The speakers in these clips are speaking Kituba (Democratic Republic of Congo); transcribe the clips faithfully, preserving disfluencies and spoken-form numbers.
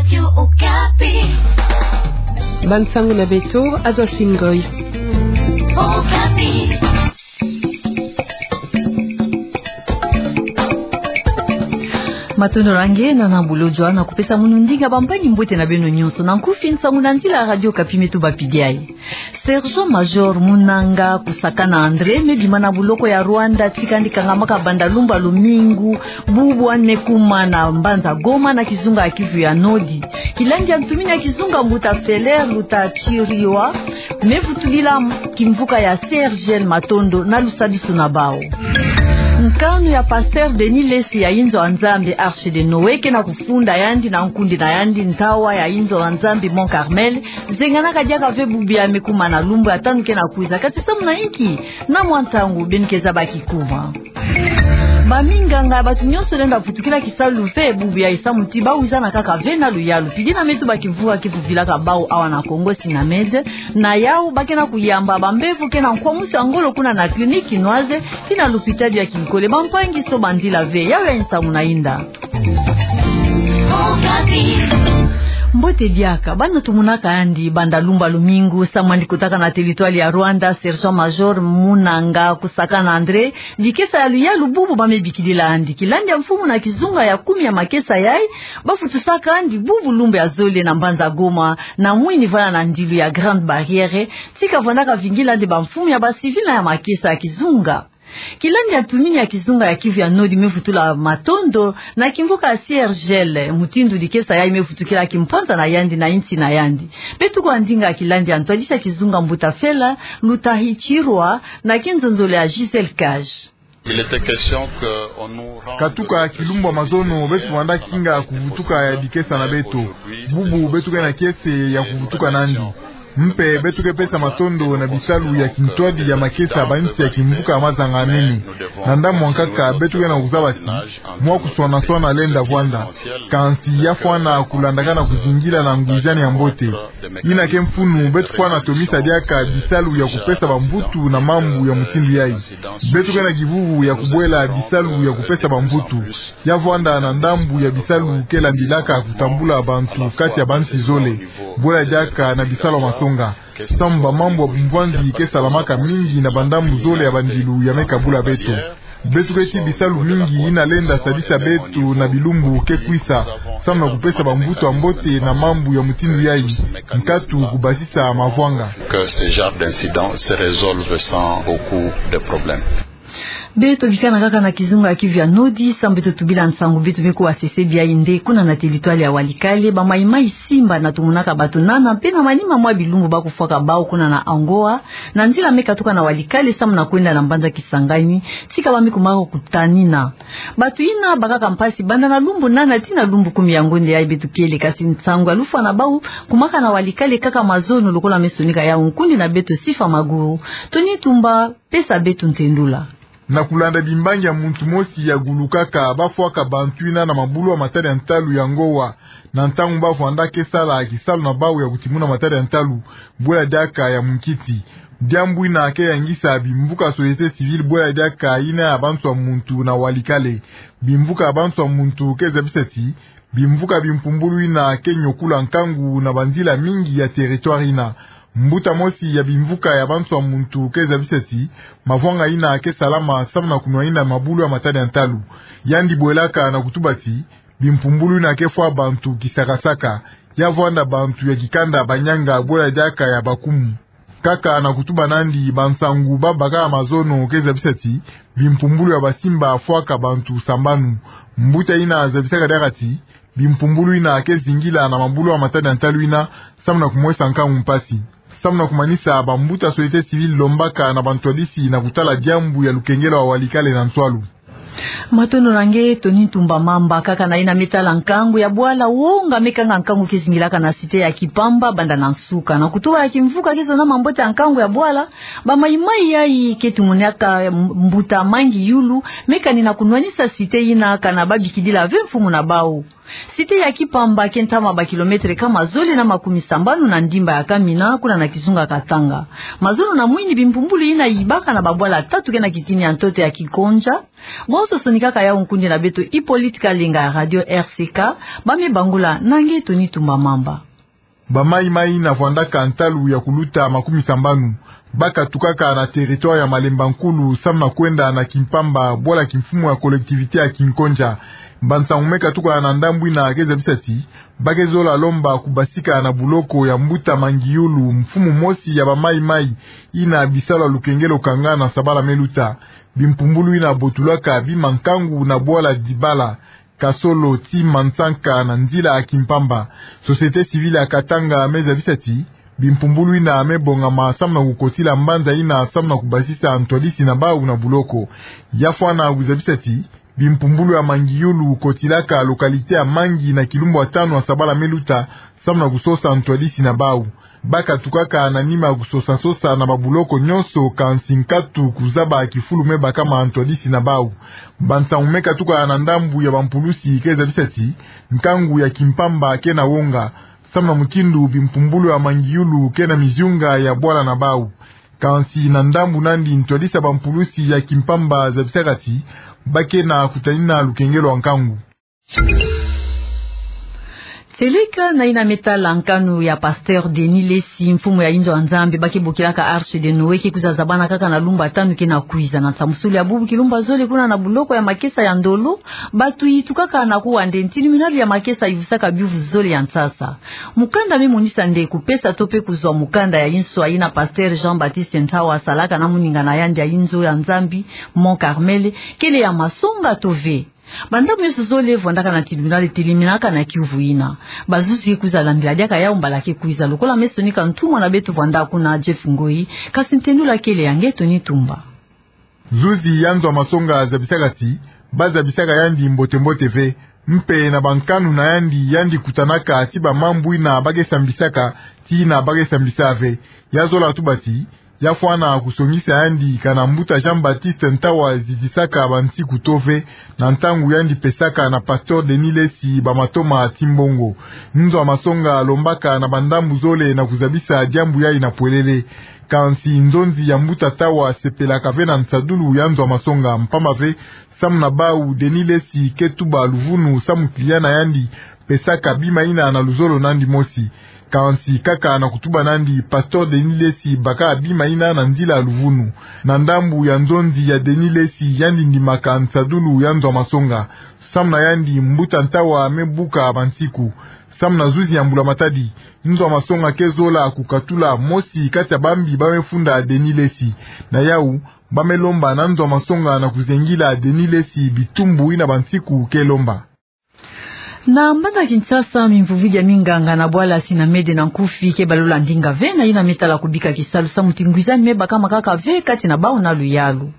Radio Okapi. Bansangu na beto, Adolphine Goy. Okapi. Matondo na nge, nana bulo jwa na kupesa munu ndinga bampangi-mbote na beno nyonso. Na nkufi, nsangu na nzila ya Radio Okapi me tubapidi yayi. Sergent-Major Munanga Kusakana André me bima na boloko ya Rwanda, tika yandi kangamaka banda lumbu ya lumingu bubu ane kuma na mbanza Goma na kizunga ya Kivu ya Nord. Kilandi ya ntumini ya kizunga, mbuta Feller Luta Chiriwa, me vutulila kimvuka ya C R G L matondo na lusadisu na bawu. Nkanu ya Pasteur Denis Lessi ya inzo ya Nzambi Arche de Noé ke na kufunda yandi na nkundi na yandi ntawa ya inzo ya Nzambi Mont Carmel, zenganaka diaka ve bubu ya me kuma na lumbu ya tanu ke na kwiza. Kati samu na inki? Na mwa ntangu beno ke zaba kikuma. Baminganga, bato nyonso lenda vutukila kisalu ve bubu yayi samu ti ba wizana kaka ve na luyalu. Pidi na me tuba kimvuka ki vuvilaka bawu awa na Congo, SINAMED, na yawu ba ke na kuyamba bambevo ke na nkwamusu ya ngolo kuna na clinique kinoise, tii na lupitadi ya kinkole. Bampangi, soba nzila ve, yawu ya nsangu na inda. Mbote diaka, bana tumonaka yandi banda lumbu ya lumingu, samu yandi kotaka na territoire ya Rwanda, Sergent-Major Munanga Kusakana André, dikesa ya luyalu bubu ba me bikidila yandi. Kilandi ya mfumu na kizunga ya kumi ya makesa yayi, ba vutusaka yandi bubu lumbu ya zole na mbanza Goma, na mwini vwala na ndilu ya Grande Barrière, tika vwandaka vingila yandi bamfumu ya ba civil na ya makesa ya kizunga. Kilandi ya ntumini ya kizunga ya Kivu ya Nord me vutula matondo na kimvuka ya C R G L, mutindu dikesa yayi me vutukila kimpwanza na yandi na insi na yandi. Beto kwa ndinga kilandi ya ntwadisi ya kizunga, mbuta Feller Luta Chiriwa, na kinzonzolo ya Gisèle Cage. Il était question que on nous rende... Katuka kilumbu ya mazono, beto vwanda kinga kuvutuka ya dikesa na beto. Bubu beto ke na kiese ya kuvutuka nandi. Mpe beto ke pesa matondo na bisalu ya kintwadi ya makesa ya bansi ya kimvuka ya Mazanga ya Nene. Na ndambu ya nkaka, beto ke na kuzaba ti mwa kuswana-swana lenda vwanda. Kansi ya fwana kulandakana kuzingila na ngwizani ya mbote. Ina ke mfunu, beto fwana tomisa diaka bisalu ya kupesa bamvutu na mambu ya mutindu yayi. Beto ke na kivuvu ya kubwela bisalu ya kupesa bamvutu. Ya vwanda na ndambu ya bisalu ke landilaka kutambula bantu kati ya bansi zole, bwela diaka na bisalu ya masonga. Samu bamambu ya bumbwanzi ke salamaka mingi na bandambu zole ya bandilu ya me kabula beto. Beto ke tii bisalu mingi ina lenda sadisa beto na bilumbu ke kwisa, samu na kupesa bamvutu ya mbote na mambu ya mutindu yayi, nkatu kubasisa mavwanga. Que ce genre d'incident se résolve sans beaucoup de problèmes. Beto bikana kaka na kizunga ya Kivu ya Nord, samu beto tubila nsangu beto me kuwa sese biayi nde kuna na territoire ya Walikale, ba maïmaï Simba na tumonaka bato nana, mpe na manima mwa bilumbu ba kufwaka bawu kuna na Angoa, na nzila me katuka na Walikale samu na kwenda na mbanza Kisangani, tika ba me kumaka kutanina. Bato ina bakaka mpasi banda na lumbu nana tii na lumbu kumi ya ngonde yayi beto kele, kasi nsangu ya lufwa na bawu kumaka na Walikale kaka mazono lokola me sonika yawu nkundi na beto Sifa Maguru. Tony Tumba, pesa beto ntendula. Na kulanda bimbangi ya muntu mosi ya gulukaka, ba fwaka bantu ina na mabulu ya matadi ya ntalu ya Ngoa, na ntangu ba vwandaka sala kisalu na bawu ya kutimuna matadi ya ntalu, bwela diaka ya munkiti. Diambu ina ke yangisa bimvuka société civile bwela diaka ina ya bantu ya muntu na Walikale. Bimvuka ya bantu ya muntu ke zabisa ti, bimvuka bimpumbulu ina ke nyokula nkangu na banzila mingi ya territoire ina. Mbuta mosi ya bimvuka ya bantu ya muntu ke zabisa ti, mavwanga ina ke salama samu na kunwanina mabulu ya matadi ya ntalu. Yandi bwelaka na kutuba ti, bimpumbulu ina ke fwa bantu kisakasaka. Ya vwanda bantu ya kikanda banyanga bwela diaka ya bakumu. Kaka na kutuba nandi, bansangu ba baka mazono ke zabisa ti, bimpumbulu ya ba Simba fwaka bantu sambanu. Mbuta ina zabisaka diaka ti, bimpumbulu ina ke zingila na mabulu ya matadi ya ntalu ina, samu na kumwesa nkangu mpasi. Samu na kumanisa, bambuta société civile lombaka na bantwadisi na kutala diambu ya lukengelo ya Walikale na nswalu. Matondo na nge, Tony Ntumba Mamba. Kaka na ina me tala nkangu ya bwala, wonga me kanga nkangu ke zingilaka na cité ya Kipamba banda na nsuka. Na kutuba ya kimvuka ke zonama mbote ya nkangu ya bwala, ba maïmaï yayi ke tumonaka mbuta Mangi Yulu me kanina kunwanisa cité ina kana ba bikidila ve mfumu na bawu. Site ya Kimpamba ke ntama ba kilometre kama zole na makumi sambanu na ndimba ya Kamina, kuna na kizunga Katanga. Mazono na mwini bimpumbulu ina yibaka na babwala tatu ke na kitini ya ntoto ya Kikonja. Bonso sonikaka yau nkundi na beto Hippolyte Kalenga ya Radio R C K, ba me bangula na nge Tony Tumba Mamba. Ba mayi-mayi ina vwandaka ntalu ya kuluta makumi sambanu, ba katukaka na territoire ya Malemba Nkulu, samu na kwenda na Kimpamba, bwala kimfumu ya collectivité ya Kikonja. Ba nsangu me katuka na ndambu ina ke zabisa ti ba ke zola lomba kubasika na buloko ya mbuta Mangiyulu, mfumu mosi ya ba mayi-mayi ina bisalu ya lukengelo kanga na sabala me luta. Bimpumbulu ina botulaka bima nkangu na bwala Dibala, Kasolo tii Mansanka na nzila ya Kimpamba. Société civile ya Katanga me zabisa ti bimpumbulu ina me bongama samu na kukotila mbanza ina samu na kubasisa ntwadisi na bau na buloko. Ya fwana kuzabisa ti bimpumbulu ya Mangiyulu kotilaka localité ya Mangi na kilumbu ya tanu ya sabala me luta, samu na kusosa ntwadisi na bau. Ba katukaka na nima kusosa-sosa na babuloko nyonso, kansi nkatu kuzaba kifulu me baka ma ntwadisi na bau. Ba nsangu me katuka na ndambu ya bampulusi ke zabisa ti nkangu ya Kimpamba ke na wonga, samu na mutindu bimpumbulu ya Mangiyulu ke na miziunga ya bwala na bau. Kansi na ndambu nandi, ntwadisi ya bampulusi ya Kimpamba zabisaka ti ba ke na kutanina lukengelo ya nkangu. Tieleka na ina me tala nkanu ya Pasteur Denis Lessi, mfumu ya inzo ya Nzambi ba ke bokilaka Arche de Noé, ke kwiza zabana kaka na lumbu ya tanu ke na kwiza. Na nsamusulu ya bubu kilumbu ya zole kuna na buloko ya makesa ya Ndolo, batu yitukaka na kuwa nde ntinu minalu ya makesa yivusaka biuvu zole ya nsasa. Mukanda me monisa nde kupesa to pe kuzwa mukanda ya inswa ina Pasteur Jean-Baptiste Ntawa asalaka na moninga na yandi ya inzo ya Nzambi, Mont Carmel, kele ya masonga to ve. Bandambu nyonso zole vwandaka na tribunal, eteleminaka na kiuvu ina. Bazuzi ke kwiza landila diaka yau mbala ke kwiza, lokola me sonika ntumwa na beto vwanda kuna, Jeff Ngoi, kansi ntendula kele ya nge Tony Tumba. Zuzi ya nzo ya masonga zabisaka ti ba zabisaka yandi mbote-mbote ve, mpe na bankanu na yandi, yandi kutanaka ti bamambu ina ba ke sambisaka, tii ina ba ke sambisa ve. Ya zola tuba ti ya fwana kusongisa yandi kana mbuta Jean-Baptiste Ntawa zizisaka bansiku to ve, na ntangu yandi pesaka na Pasteur Denis Lessi bamatoma ti mbongo. Nzo ya masonga alombaka na bandambu zole na kuzabisa diambu yai na pwelele. Kansi nzonzi ya mbuta Ntawa asepelaka ve na nsadulu ya nzo ya masonga, mpamba ve samu na bau Denis Lessi ke tuba luvunu samu client na yandi pesaka bima ina na luzolo nandi mosi. Kansi kaka na kutuba nandi, Pasteur Denis Lessi baka bima ina na nzila ya luvunu. Na ndambu ya nzonzi ya Denis Lessi, yandi ndimaka nsadulu ya nzo ya masonga. Samu na yandi, mbuta Ntawa me buka bansiku. Samu na zuzi ya mbula matadi, nzo ya masonga ke zola kukatula mosi kati ya bambi ba me funda Denis Lessi. Na yau, ba me lomba na nzo ya masonga na kuzengila Denis Lessi bitumbu ina bansiku ke lomba. Na mbanza Kinshasa, mimvuvidi ya minganga na bwala Sinamede na Nkufi ke balula ndinga ve na ina me tala kubika kisalu samu ti ngwizani me bakama kaka ve kati na bau na luyalu.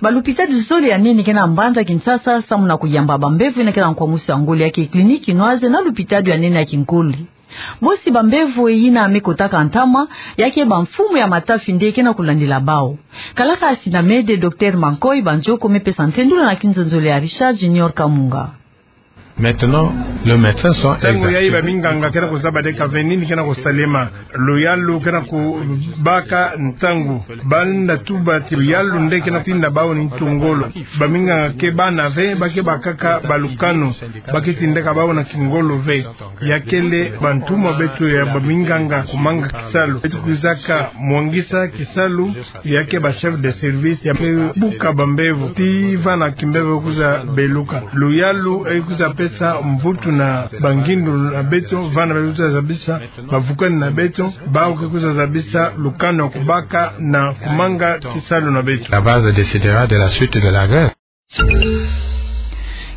Balupitadi zole ya nene ke na mbanza Kinshasa samu na kuyamba bambevo ina ke na nkwamusu ya ngolo ya ke Clinique Kinoise na lupitadi ya nene ya kinkuli. Bosi bambevo ina me kotaka ntama, ya ke bamfumu ya matafi nde ke na kulandila bau. Kalaka Sinamede, Docteur Mankoy Banjoko me pesa ntendula na kinzonzolo ya Richard Junior Kamunga. Maintenant, les médecins sont exhaustifs. Ntangu yayi baminganga ke na kuzaba deka ve nini ke na kusalema. Luyalu ke na kubaka ntangu. Banda tuba ti luyalu nde ke na kutinda bau ni ntu ngolo. Baminganga ke bana ve, ba ke bakaka balukanu. Ba ke tindaka bau na kingolo ve. Ya kele bantumwa beto ya baminganga kumanga kisalu. Beto kwizaka mwangisa kisalu, ya ke ba chef de service ya me buka bambevo ti vana kimbevo kwiza beluka. Luyalu e kwiza pesa mvutu na bangindu na beto, vana beto kwiza zabisa bavukani na beto, bau ke kwiza zabisa lukanu ya kubaka na kumanga kisalu na beto. La base décidera de la suite de la grève.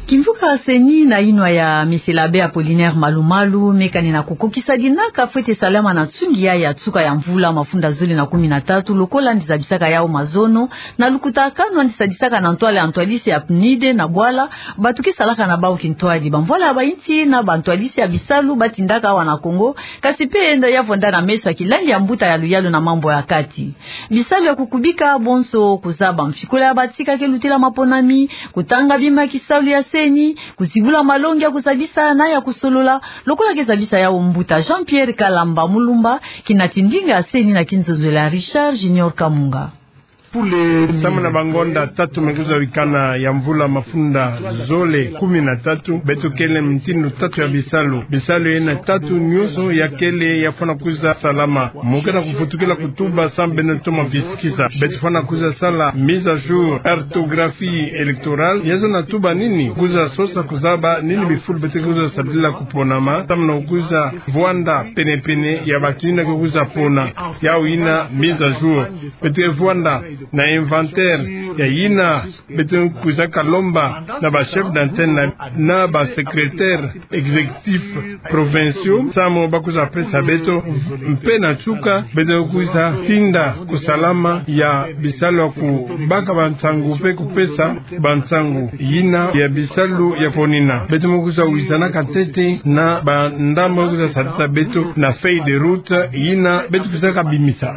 Kimvuka CENI na inwa ya Monsieur l'Abbé Apollinaire Malumalu me kani na kukokisa dinaka fwete salama na nsungi ya, ya nsuka ya mvula mafunda zole na kumi na tatu, lokola yandi zabisaka yau mazono, na lukutakanu yandi sadisaka na ntwala ya ntwadisi ya PNUD na bwala bato ke salaka na bau kintwadi, bamvwala ya bainsi na bantwadisi ya bisalu ba tindaka awa na Kongo, kasi mpe yenda ya vwanda na meso ya kilandi ya mbuta ya luyalu na mambu ya kati. Bisalu ya kukubika bonso, kuzaba mfikula ya batika ke lutela maponami, kutanga bima kisalu ya se CENI, kuzibula malongi ya kuzabisa na ya kusolola, lokola ke zabisa yau mbuta Jean-Pierre Kalamba Mulumba, kina ti ndinga CENI na kinzonzolo ya Richard Junior Kamunga. Samu na bangonda tatu me kuzawikana ya mvula mafunda zole kumi na tatu, beto kele mitindu tatu ya bisalu. Bisalu yena tatu nyonso ya kele ya fwana kuza salama. Mu ke na kufutukila kutuba samu beno toma visikisa. Beto fwana kuza sala mise à jour orthographie électorale. Ya zana tuba nini? Kuza sosa kuzaba nini bifulu beto ke kuza sadila kuponama. Samu na kuza vwanda pene-pene ya bato yina ke kuza pona. Yau yina mise à jour. Beto ke vwanda na inventaire ya yina beto kuza kalomba na ba chef d'antenne na, na ba secrétaire exécutif provinciaux, samu ba kuza pesa beto, mpe na nsuka, beto kuza tinda kusalama ya bisalu ya kubaka bansangu mpe kupesa bansangu yina ya bisalu ya ponina. Beto me kuza wizana ka ntete na bandambu kuza sadisa beto na feuille de route yina beto kuza kabimisa.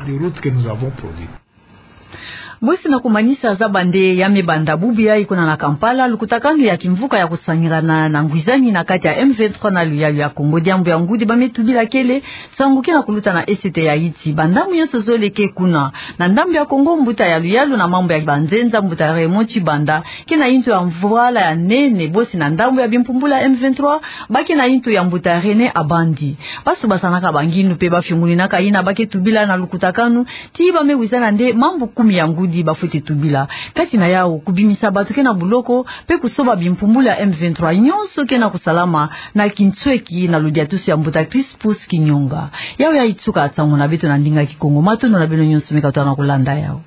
Bosi na kumanisa zaba nde ya me banda bubu yayi kuna na Kampala, lukutakanu ya kimvuka ya kusangirana na ngwizani na kati ya M vingt-trois na luyalu ya Kongo diambu ya ngudi ba me tubila kele, nsangu ke na kuluta na Est ya Haïti. Bandambu nyonso zole ke kuna. Na ndambu ya Kongo, mbuta ya luyalu na mambu ya banzenza, mbuta Raymond Tshibanda, ke na yintu ya mvwala ya nene, bosi na ndambu ya bimpumbulu ya M vingt-trois, ba ke na yintu ya mbuta René Abandi. Ba sobasanaka bangindu mpe ba fiongoninaka yina ba ke tubila na lukutakanu, ti ba me wizana nde mambu kumi ya ngudi ba fwete tubila. Kati na yau, kubimisa bato ke na buloko, mpe kusoba bimpumbulu ya M vingt-trois nyonso ke na kusalama na kinsweki na ludiatusu ya mbuta Crispus Kinyonga. Yau yayi nsuka nsangu na beto na ndinga Kikongo. Matondo na beno nyonso me katuka na kulanda yau.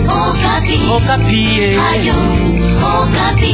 Okapi. Okapi, eh. Ayo, Okapi.